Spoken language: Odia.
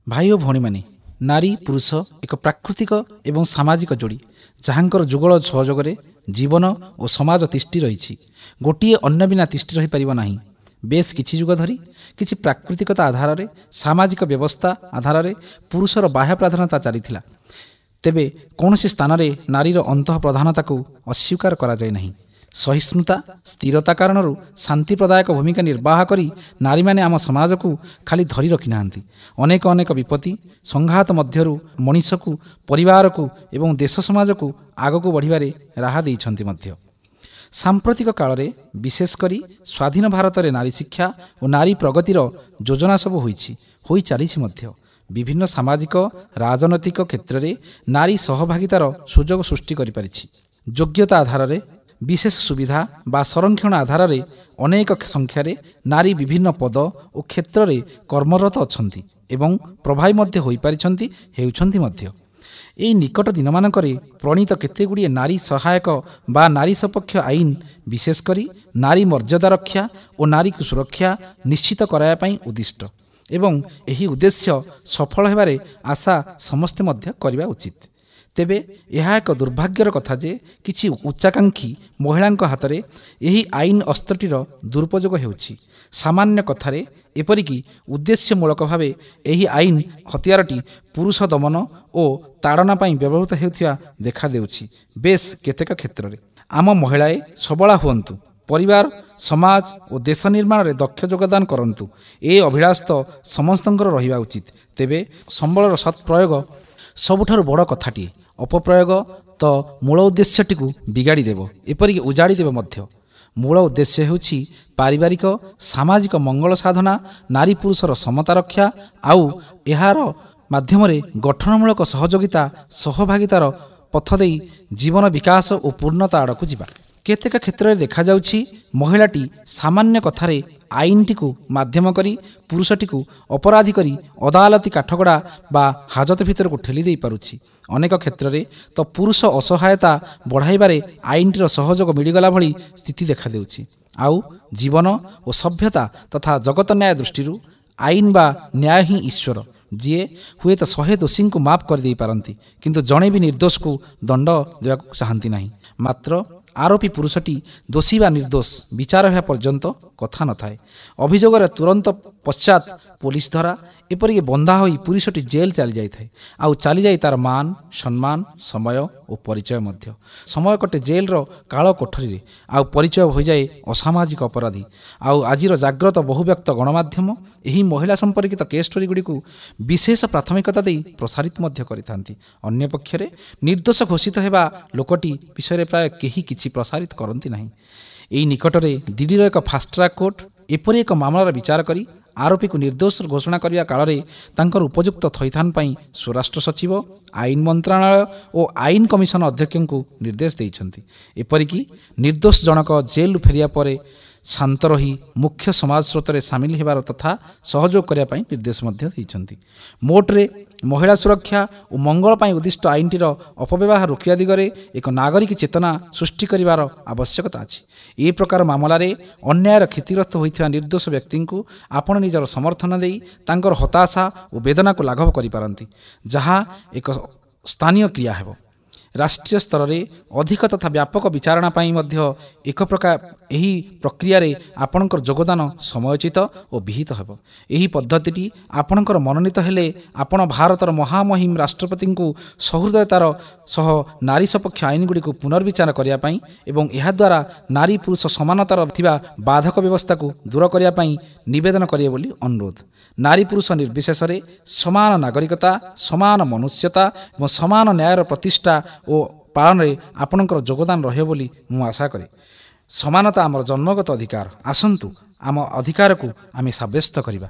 ଭାଇ ଓ ଭଉଣୀମାନେ, ନାରୀ ପୁରୁଷ ଏକ ପ୍ରାକୃତିକ ଏବଂ ସାମାଜିକ ଯୋଡ଼ି, ଯାହାଙ୍କର ଯୁଗଳ ସହଯୋଗରେ ଜୀବନ ଓ ସମାଜ ତିଷ୍ଠି ରହିଛି। ଗୋଟିଏ ଅନ୍ୟ ବିନା ତିଷ୍ଠି ରହିପାରିବ ନାହିଁ। ବେଶ କିଛି ଯୁଗ ଧରି କିଛି ପ୍ରାକୃତିକତା ଆଧାରରେ, ସାମାଜିକ ବ୍ୟବସ୍ଥା ଆଧାରରେ ପୁରୁଷର ବାହ୍ୟ ପ୍ରାଧାନ୍ୟତା ଚାଲିଥିଲା। ତେବେ କୌଣସି ସ୍ଥାନରେ ନାରୀର ଅନ୍ତଃ ପ୍ରଧାନତାକୁ ଅସ୍ୱୀକାର କରାଯାଏ ନାହିଁ। ସହିଷ୍ଣୁତା, ସ୍ଥିରତା କାରଣରୁ ଶାନ୍ତି ପ୍ରଦାୟକ ଭୂମିକା ନିର୍ବାହ କରି ନାରୀମାନେ ଆମ ସମାଜକୁ ଖାଲି ଧରି ରଖିନାହାନ୍ତି, ଅନେକ ଅନେକ ବିପତ୍ତି ସଂଘାତ ମଧ୍ୟରୁ ମଣିଷକୁ, ପରିବାରକୁ ଏବଂ ଦେଶ ସମାଜକୁ ଆଗକୁ ବଢ଼ିବାରେ ରାହା ଦେଇଛନ୍ତି ମଧ୍ୟ। ସାମ୍ପ୍ରତିକ କାଳରେ ବିଶେଷ କରି ସ୍ୱାଧୀନ ଭାରତରେ ନାରୀ ଶିକ୍ଷା ଓ ନାରୀ ପ୍ରଗତିର ଯୋଜନା ସବୁ ହୋଇଛି, ହୋଇ ଚାଲିଛି ମଧ୍ୟ। ବିଭିନ୍ନ ସାମାଜିକ ରାଜନୈତିକ କ୍ଷେତ୍ରରେ ନାରୀ ସହଭାଗିତାର ସୁଯୋଗ ସୃଷ୍ଟି କରିପାରିଛି। ଯୋଗ୍ୟତା ଆଧାରରେ, ବିଶେଷ ସୁବିଧା ବା ସଂରକ୍ଷଣ ଆଧାରରେ ଅନେକ ସଂଖ୍ୟାରେ ନାରୀ ବିଭିନ୍ନ ପଦ ଓ କ୍ଷେତ୍ରରେ କର୍ମରତ ଅଛନ୍ତି ଏବଂ ପ୍ରଭାବୀ ମଧ୍ୟ ହୋଇପାରିଛନ୍ତି, ହେଉଛନ୍ତି ମଧ୍ୟ। ଏହି ନିକଟ ଦିନମାନଙ୍କରେ ପ୍ରଣୀତ କେତେଗୁଡ଼ିଏ ନାରୀ ସହାୟକ ବା ନାରୀ ସପକ୍ଷ ଆଇନ ବିଶେଷ କରି ନାରୀ ମର୍ଯ୍ୟାଦା ରକ୍ଷା ଓ ନାରୀକୁ ସୁରକ୍ଷା ନିଶ୍ଚିତ କରାଇବା ପାଇଁ ଉଦ୍ଦିଷ୍ଟ ଏବଂ ଏହି ଉଦ୍ଦେଶ୍ୟ ସଫଳ ହେବାରେ ଆଶା ସମସ୍ତେ ମଧ୍ୟ କରିବା ଉଚିତ। ତେବେ ଏହା ଏକ ଦୁର୍ଭାଗ୍ୟର କଥା ଯେ କିଛି ଉଚ୍ଚାକାଂକ୍ଷୀ ମହିଳାଙ୍କ ହାତରେ ଏହି ଆଇନ ଅସ୍ତ୍ରଟିର ଦୁରୁପଯୋଗ ହେଉଛି। ସାମାନ୍ୟ କଥାରେ, ଏପରିକି ଉଦ୍ଦେଶ୍ୟମୂଳକ ଭାବେ ଏହି ଆଇନ ହତିଆରଟି ପୁରୁଷ ଦମନ ଓ ତାଡ଼ନା ପାଇଁ ବ୍ୟବହୃତ ହେଉଥିବା ଦେଖାଦେଉଛି ବେଶ କେତେକ କ୍ଷେତ୍ରରେ। ଆମ ମହିଳାଏ ସବଳା ହୁଅନ୍ତୁ, ପରିବାର, ସମାଜ ଓ ଦେଶ ନିର୍ମାଣରେ ଦକ୍ଷ ଯୋଗଦାନ କରନ୍ତୁ, ଏ ଅଭିଳାଷ ତ ସମସ୍ତଙ୍କର ରହିବା ଉଚିତ। ତେବେ ସମ୍ବଳର ସତ୍ପ୍ରୟୋଗ ସବୁଠାରୁ ବଡ଼ କଥାଟିଏ। ଅପପ୍ରୟୋଗ ତ ମୂଳ ଉଦ୍ଦେଶ୍ୟଟିକୁ ବିଗାଡ଼ି ଦେବ, ଏପରିକି ଉଜାଡ଼ି ଦେବ ମଧ୍ୟ। ମୂଳ ଉଦ୍ଦେଶ୍ୟ ହେଉଛି ପାରିବାରିକ ସାମାଜିକ ମଙ୍ଗଳ ସାଧନା, ନାରୀ ପୁରୁଷର ସମତା ରକ୍ଷା ଆଉ ଏହାର ମାଧ୍ୟମରେ ଗଠନମୂଳକ ସହଯୋଗିତା, ସହଭାଗିତାର ପଥ ଦେଇ ଜୀବନ ବିକାଶ ଓ ପୂର୍ଣ୍ଣତା ଆଡ଼କୁ ଯିବା। କେତେକ କ୍ଷେତ୍ରରେ ଦେଖାଯାଉଛି ମହିଳାଟି ସାମାନ୍ୟ କଥାରେ ଆଇନଟିକୁ ମାଧ୍ୟମ କରି ପୁରୁଷଟିକୁ ଅପରାଧୀ କରି ଅଦାଲତି କାଠଗଡ଼ା ବା ହାଜତ ଭିତରକୁ ଠେଲି ଦେଇପାରୁଛି। ଅନେକ କ୍ଷେତ୍ରରେ ତ ପୁରୁଷ ଅସହାୟତା ବଢ଼ାଇବାରେ ଆଇନଟିର ସହଯୋଗ ମିଳିଗଲା ଭଳି ସ୍ଥିତି ଦେଖାଦେଉଛି। ଆଉ ଜୀବନ ଓ ସଭ୍ୟତା ତଥା ଜଗତ ନ୍ୟାୟ ଦୃଷ୍ଟିରୁ ଆଇନ ବା ନ୍ୟାୟ ହିଁ ଈଶ୍ୱର, ଯିଏ ହୁଏତ 100 ଦୋଷୀଙ୍କୁ ମାଫ କରିଦେଇପାରନ୍ତି, କିନ୍ତୁ ଜଣେ ବି ନିର୍ଦ୍ଦୋଷକୁ ଦଣ୍ଡ ଦେବାକୁ ଚାହାନ୍ତି ନାହିଁ। ମାତ୍ର ଆରୋପୀ ପୁରୁଷଟି ଦୋଷୀ ବା ନିର୍ଦ୍ଦୋଷ ବିଚାର ହେବା ପର୍ଯ୍ୟନ୍ତ କଥା ନଥାଏ। ଅଭିଯୋଗର ତୁରନ୍ତ ପଶ୍ଚାତ ପୋଲିସ ଧରା, ଏପରିକି ବନ୍ଧା ହୋଇ ପୁରୁଷଟି ଜେଲ୍ ଚାଲିଯାଇଥାଏ। ଆଉ ଚାଲିଯାଇ ତାର ମାନ, ସମ୍ମାନ, ସମୟ ଓ ପରିଚୟ ମଧ୍ୟ। ସମୟ କଟେ ଜେଲ୍ର କାଳ କୋଠରୀରେ, ଆଉ ପରିଚୟ ହୋଇଯାଏ ଅସାମାଜିକ ଅପରାଧୀ। ଆଉ ଆଜିର ଜାଗ୍ରତ ବହୁବ୍ୟକ୍ତ ଗଣମାଧ୍ୟମ ଏହି ମହିଳା ସମ୍ପର୍କିତ କେସ୍ ଷ୍ଟୋରି ଗୁଡ଼ିକୁ ବିଶେଷ ପ୍ରାଥମିକତା ଦେଇ ପ୍ରସାରିତ ମଧ୍ୟ କରିଥାନ୍ତି। ଅନ୍ୟପକ୍ଷରେ ନିର୍ଦ୍ଦୋଷ ଘୋଷିତ ହେବା ଲୋକଟି ବିଷୟରେ ପ୍ରାୟ କେହି କିଛି ପ୍ରସାରିତ କରନ୍ତି ନାହିଁ। ଏହି ନିକଟରେ ଦିଲ୍ଲୀର ଏକ ଫାଷ୍ଟଟ୍ରାକ୍ କୋର୍ଟ ଏପରି ଏକ ମାମଲାର ବିଚାର କରି ଆରୋପୀକୁ ନିର୍ଦ୍ଦୋଷ ଘୋଷଣା କରିବା କାଳରେ ତାଙ୍କର ଉପଯୁକ୍ତ ଥଇଥାନ ପାଇଁ ସ୍ୱରାଷ୍ଟ୍ର ସଚିବ, ଆଇନ ମନ୍ତ୍ରଣାଳୟ ଓ ଆଇନ କମିଶନ ଅଧ୍ୟକ୍ଷଙ୍କୁ ନିର୍ଦ୍ଦେଶ ଦେଇଛନ୍ତି। ଏପରିକି ନିର୍ଦ୍ଦୋଷ ଜଣକ ଜେଲ୍ରୁ ଫେରିବା ପରେ ଶାନ୍ତ ରହି ମୁଖ୍ୟ ସମାଜ ସ୍ରୋତରେ ସାମିଲ ହେବାର ତଥା ସହଯୋଗ କରିବା ପାଇଁ ନିର୍ଦ୍ଦେଶ ମଧ୍ୟ ଦେଇଛନ୍ତି। ମୋଟରେ ମହିଳା ସୁରକ୍ଷା ଓ ମଙ୍ଗଳ ପାଇଁ ଉଦ୍ଦିଷ୍ଟ ଆଇନଟିର ଅପବ୍ୟବହାର ରୋକିବା ଦିଗରେ ଏକ ନାଗରିକ ଚେତନା ସୃଷ୍ଟି କରିବାର ଆବଶ୍ୟକତା ଅଛି। ଏ ପ୍ରକାର ମାମଲାରେ ଅନ୍ୟାୟର କ୍ଷତିଗ୍ରସ୍ତ ହୋଇଥିବା ନିର୍ଦ୍ଦୋଷ ବ୍ୟକ୍ତିଙ୍କୁ ଆପଣ ନିଜର ସମର୍ଥନ ଦେଇ ତାଙ୍କର ହତାଶା ଓ ବେଦନାକୁ ଲାଘବ କରିପାରନ୍ତି, ଯାହା ଏକ ସ୍ଥାନୀୟ କ୍ରିୟା ହେବ। ରାଷ୍ଟ୍ରୀୟ ସ୍ତରରେ ଅଧିକ ତଥା ବ୍ୟାପକ ବିଚାରଣା ପାଇଁ ମଧ୍ୟ ଏକ ପ୍ରକାର ଏହି ପ୍ରକ୍ରିୟାରେ ଆପଣଙ୍କର ଯୋଗଦାନ ସମୟୋଚିତ ଓ ବିହିତ ହେବ। ଏହି ପଦ୍ଧତିଟି ଆପଣଙ୍କର ମନୋନୀତ ହେଲେ ଆପଣ ଭାରତର ମହାମହିମ ରାଷ୍ଟ୍ରପତିଙ୍କୁ ସହୃଦୟତାର ସହ ନାରୀ ସପକ୍ଷ ଆଇନଗୁଡ଼ିକୁ ପୁନର୍ବିଚାର କରିବା ପାଇଁ ଏବଂ ଏହାଦ୍ୱାରା ନାରୀ ପୁରୁଷ ସମାନତାର ଥିବା ବାଧକ ବ୍ୟବସ୍ଥାକୁ ଦୂର କରିବା ପାଇଁ ନିବେଦନ କରିବେ ବୋଲି ଅନୁରୋଧ। ନାରୀ ପୁରୁଷ ନିର୍ବିଶେଷରେ ସମାନ ନାଗରିକତା, ସମାନ ମନୁଷ୍ୟତା ଏବଂ ସମାନ ନ୍ୟାୟର ପ୍ରତିଷ୍ଠା ଓ ପାଳନରେ ଆପଣଙ୍କର ଯୋଗଦାନ ରହିବ ବୋଲି ମୁଁ ଆଶା କରେ। ସମାନତା ଆମର ଜନ୍ମଗତ ଅଧିକାର। ଆସନ୍ତୁ ଆମ ଅଧିକାରକୁ ଆମେ ସାବ୍ୟସ୍ତ କରିବା।